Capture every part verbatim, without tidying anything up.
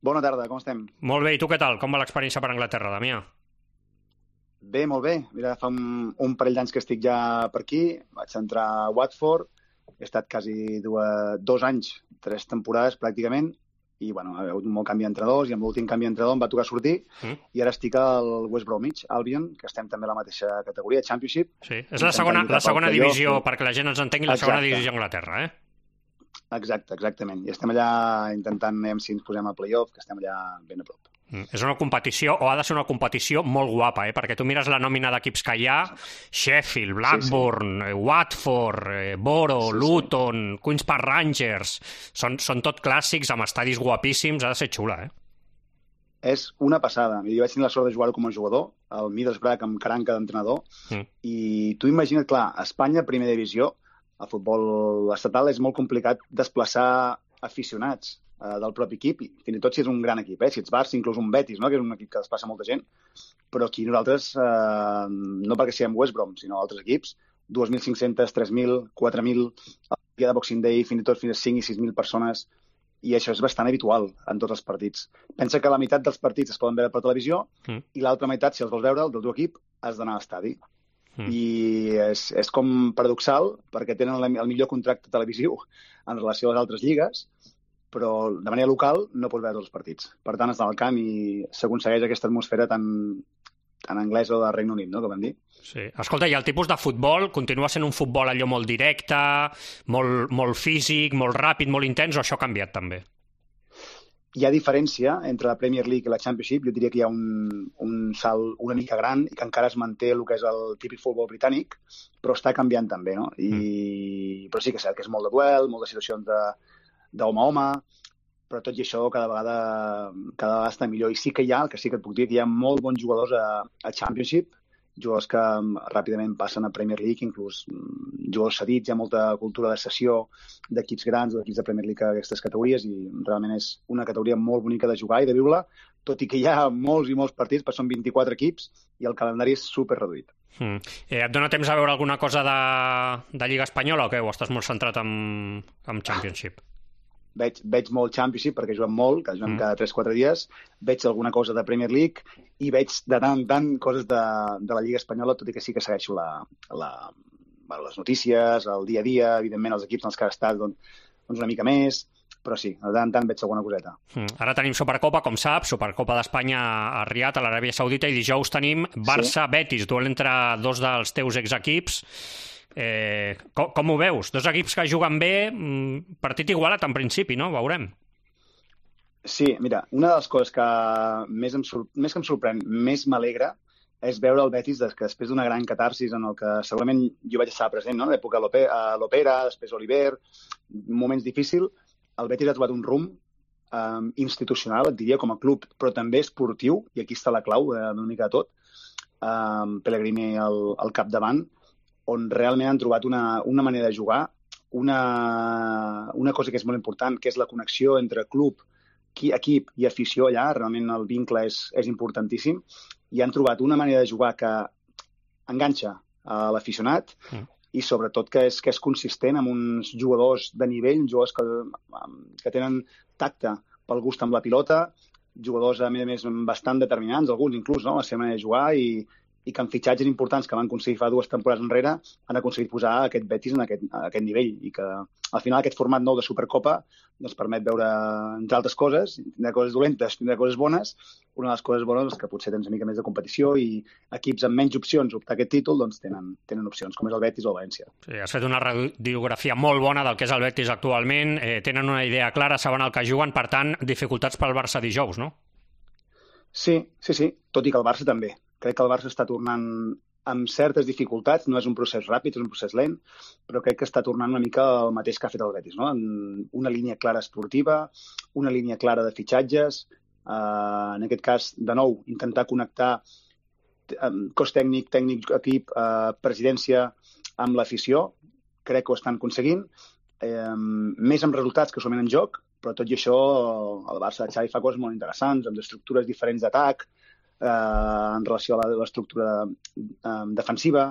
Bona tarda, com estem? Molt bé, i tu què tal? Com va l'experiència per Anglaterra, Damià? Bé, molt bé. Mira, fa un, un parell d'anys que estic ja per aquí. Vaig entrar a Watford. He estat quasi dues, dos anys, tres temporades pràcticament, i bueno, ha hagut un molt canvi d'entrenadors, i amb l'últim canvi d'entrenador em va tocar sortir, mm. i ara estic al West Bromwich Albion, que estem també a la mateixa categoria, Championship. Sí, és la segona, la segona divisió, sí. Perquè la gent ens entengui, la Exacte. segona divisió d'Anglaterra, eh? Exacte, exactament. I estem allà intentant, anem si ens posem a playoff, que estem allà ben a prop. Mm. És una competició, o ha de ser una competició molt guapa, eh? Perquè tu mires la nòmina d'equips que hi ha, Sheffield, Blackburn, sí, sí. Watford, Boro, sí, Luton, sí. Queen's Park Rangers, són, són tot clàssics amb estadis guapíssims, ha de ser xula, eh? És una passada. Jo vaig tenir la sort de jugar com a jugador, al Middlesbrough amb caranca d'entrenador, mm. i tu imagina't, clar, a Espanya, primera divisió, el futbol estatal és molt complicat desplaçar aficionats eh, del propi equip, i fins i tot si és un gran equip, eh? Si ets Barça, inclús un Betis, no? Que és un equip que desplaça molta gent, però aquí nosaltres, eh, no perquè siguem West Brom, sinó altres equips, dos mil cinc-centes, tres mil, quatre mil, el dia de Boxing Day, fins i tot fins a cinc i sis mil persones, i això és bastant habitual en tots els partits. Pensa que la meitat dels partits es poden veure per televisió, mm. i l'altra meitat, si els vols veure, el del teu equip, has d'anar a l'estadi. Mm. I és, és com paradoxal, perquè tenen el millor contracte televisiu en relació a les altres lligues, però de manera local no pots veure els partits. Per tant, has d'anar al camp i s'aconsegueix aquesta atmosfera tan, tan anglesa o de Regne Unit, no?, que vam dir. Sí. Escolta, i el tipus de futbol continua sent un futbol allò molt directe, molt, molt físic, molt ràpid, molt intens, o això ha canviat també? Hi ha diferència entre la Premier League i la Championship. Jo diria que hi ha un, un salt una mica gran i que encara es manté el que és el típic futbol britànic, però està canviant també, no? I... Mm. Però sí que és cert que és molt de duel, moltes situacions de, d'home a home, però tot i això cada vegada, cada vegada està millor. I sí que hi ha, el que sí que et puc dir, que hi ha molt bons jugadors a, a Championship, jugadors que ràpidament passen a Premier League, inclús jugadors cedits, hi ha molta cultura de cessió d'equips grans o d'equips de Premier League a aquestes categories, i realment és una categoria molt bonica de jugar i de viure-la, tot i que hi ha molts i molts partits, perquè són vint-i-quatre equips i el calendari és super reduït. Mm. Eh, et dona temps a veure alguna cosa de, de Lliga Espanyola o què? O estàs molt centrat en, en Championship? Veig, veig molt Championship perquè juguem molt, que juguem mm. cada tres o quatre dies, veig alguna cosa de Premier League i veig de tant en tant coses de, de la Lliga Espanyola, tot i que sí que segueixo la, la, les notícies, el dia a dia, evidentment els equips en els que ha estat doncs, doncs una mica més, però sí, de tant en tant veig alguna coseta. Mm. Ara tenim Supercopa, com saps, Supercopa d'Espanya a Riad, a l'Aràbia Saudita, i dijous tenim Barça-Betis, sí. Duel entre dos dels teus exequips. Eh, com, com ho veus? Dos equips que juguen bé, partit igualat en principi, no? Veurem. Sí, mira, una de les coses que més, em, més que em sorprèn, més m'alegra, és veure el Betis que després d'una gran catarsis en el que segurament jo vaig estar present, no? En l'època Lopera, després Oliver, moments difícils, el Betis ha trobat un rumb eh, institucional, et diria, com a club, però també esportiu, i aquí està la clau eh, d'una mica de tot, eh, Pellegrini al, al capdavant, on realment han trobat una, una manera de jugar, una, una cosa que és molt important, que és la connexió entre club, equip i afició allà. Realment el vincle és, és importantíssim, i han trobat una manera de jugar que enganxa a l'aficionat mm. i sobretot que és, que és consistent amb uns jugadors de nivell, jugadors que, que tenen tacte pel gust amb la pilota, jugadors a més a més bastant determinants, alguns inclús, no?, la seva manera de jugar, i i que en fitxatges importants que van aconseguir fa dues temporades enrere han aconseguit posar aquest Betis en aquest, a aquest nivell, i que al final aquest format nou de Supercopa doncs permet veure, entre altres coses, tindrà coses dolentes, tindrà coses bones. Una de les coses bones és que potser tens una mica més de competició i equips amb menys opcions optar aquest títol doncs tenen, tenen opcions, com és el Betis o el València. Sí, has fet una radiografia molt bona del que és el Betis actualment, eh, tenen una idea clara, saben el que juguen, per tant, dificultats pel Barça dijous, no? Sí, sí, sí, tot i que el Barça també. Crec que el Barça està tornant amb certes dificultats, no és un procés ràpid, és un procés lent, però crec que està tornant una mica el mateix que ha fet el Betis, no? Una línia clara esportiva, una línia clara de fitxatges, eh, en aquest cas, de nou, intentar connectar cos tècnic, tècnic, equip, eh, presidència amb l'afició. Crec que ho estan aconseguint, eh, més amb resultats que solament en joc, però tot i això el Barça de Xavi fa coses molt interessants, amb estructures diferents d'atac, Eh, en relació a l'estructura eh, defensiva,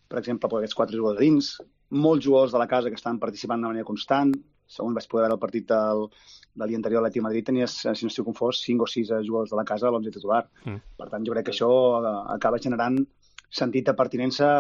per exemple, per aquests quatre jugadors dins, molts jugadors de la casa que estan participant de manera constant, segons vaig poder veure el partit del, de l'any anterior a l'Atlètic de Madrid, tenies, si no estic confós, cinc o sis jugadors de la casa a l'onze titular. Mm. Per tant, jo crec que això acaba generant sentit de pertinença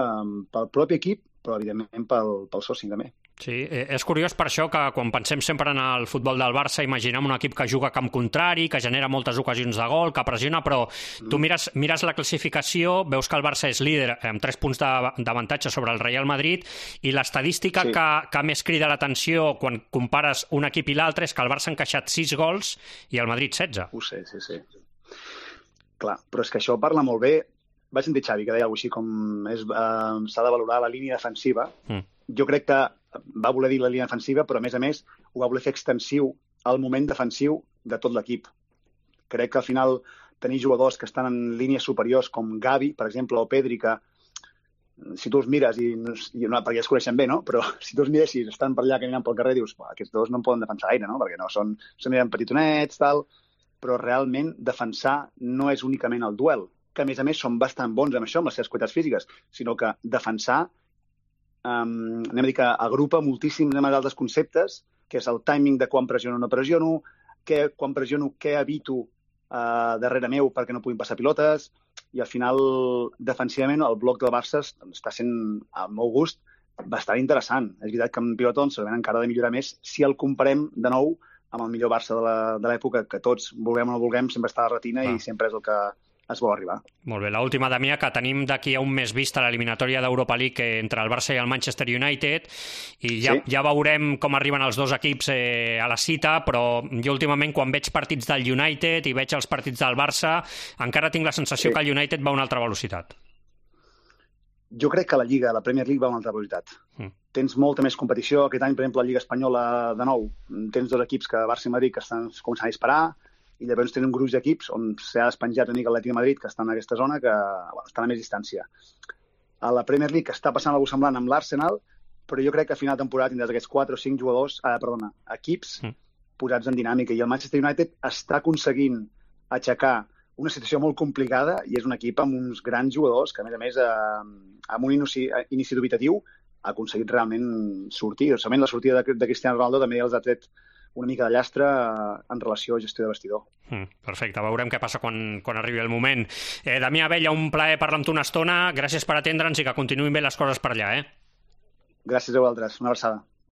pel propi equip, però evidentment pel, pel soci també. Sí, és curiós per això que quan pensem sempre en el futbol del Barça imaginem un equip que juga a camp contrari, que genera moltes ocasions de gol, que pressiona, però mm. tu mires, mires la classificació, veus que el Barça és líder amb tres punts d'avantatge sobre el Real Madrid i l'estadística sí. que, que més crida l'atenció quan compares un equip i l'altre és que el Barça ha encaixat sis gols i el Madrid setze. Ho sé, sí, sí. Clar, però és que això parla molt bé. Vaig sentir Xavi que deia alguna cosa així com és, eh, s'ha de valorar la línia defensiva. Mm. Jo crec que va voler dir la línia defensiva, però a més a més ho va voler fer extensiu al moment defensiu de tot l'equip. Crec que al final tenir jugadors que estan en línies superiors com Gavi, per exemple, o Pedri, que si tu els mires, i, i no, perquè ja es coneixen bé, no? Però si tu els miressis, estan per allà caminant pel carrer, dius, aquests dos no en poden defensar gaire, no? Perquè no són, són petitonets, tal, però realment defensar no és únicament el duel, que a més a més són bastant bons amb això, amb les seves qualitats físiques, sinó que defensar Um, anem a dir que agrupa moltíssims altres conceptes, que és el timing de quan pressiono o no pressiono, que, quan pressiono què evito uh, darrere meu perquè no puguin passar pilotes, i al final, defensivament, el bloc del Barça està sent, al meu gust, bastant interessant. És veritat que en pilota doncs, segurament encara ha de millorar més si el comparem de nou amb el millor Barça de l'època, que tots, vulguem o no vulguem, sempre està a la retina ah. i sempre és el que es vol arribar. Molt bé, l'última, Damià, que tenim d'aquí a un mes vista l'eliminatòria d'Europa League entre el Barça i el Manchester United, i ja, sí. ja veurem com arriben els dos equips eh, a la cita, però jo últimament quan veig partits del United i veig els partits del Barça, encara tinc la sensació sí. que el United va a una altra velocitat. Jo crec que la Lliga, la Premier League, va a una altra velocitat. Mm. Tens molta més competició. Aquest any, per exemple, la Lliga Espanyola, de nou, tens dos equips, que Barça i Madrid, que estan començant a disparar, i llavors tenen un gruix d'equips on s'ha despenjat una mica l'Atlètic de Madrid, que està en aquesta zona, que bueno, estan a més distància. A la Premier League està passant alguna cosa semblant amb l'Arsenal, però jo crec que a final de temporada tindràs aquests quatre o cinc jugadors, eh, perdona, equips mm. posats en dinàmica, i el Manchester United està aconseguint aixecar una situació molt complicada i és un equip amb uns grans jugadors que, a més a més, eh, amb un inici, inici dubitatiu ha aconseguit realment sortir. Realment la sortida de, de Cristiano Ronaldo també els ha tret una mica de llastre en relació a gestió de vestidor. Mm, perfecte, veurem què passa quan, quan arribi el moment. Eh, Damià Abella, un plaer parlar amb tu una estona. Gràcies per atendre'ns i que continuïn bé les coses per allà. Eh? Gràcies a vosaltres. Una abraçada.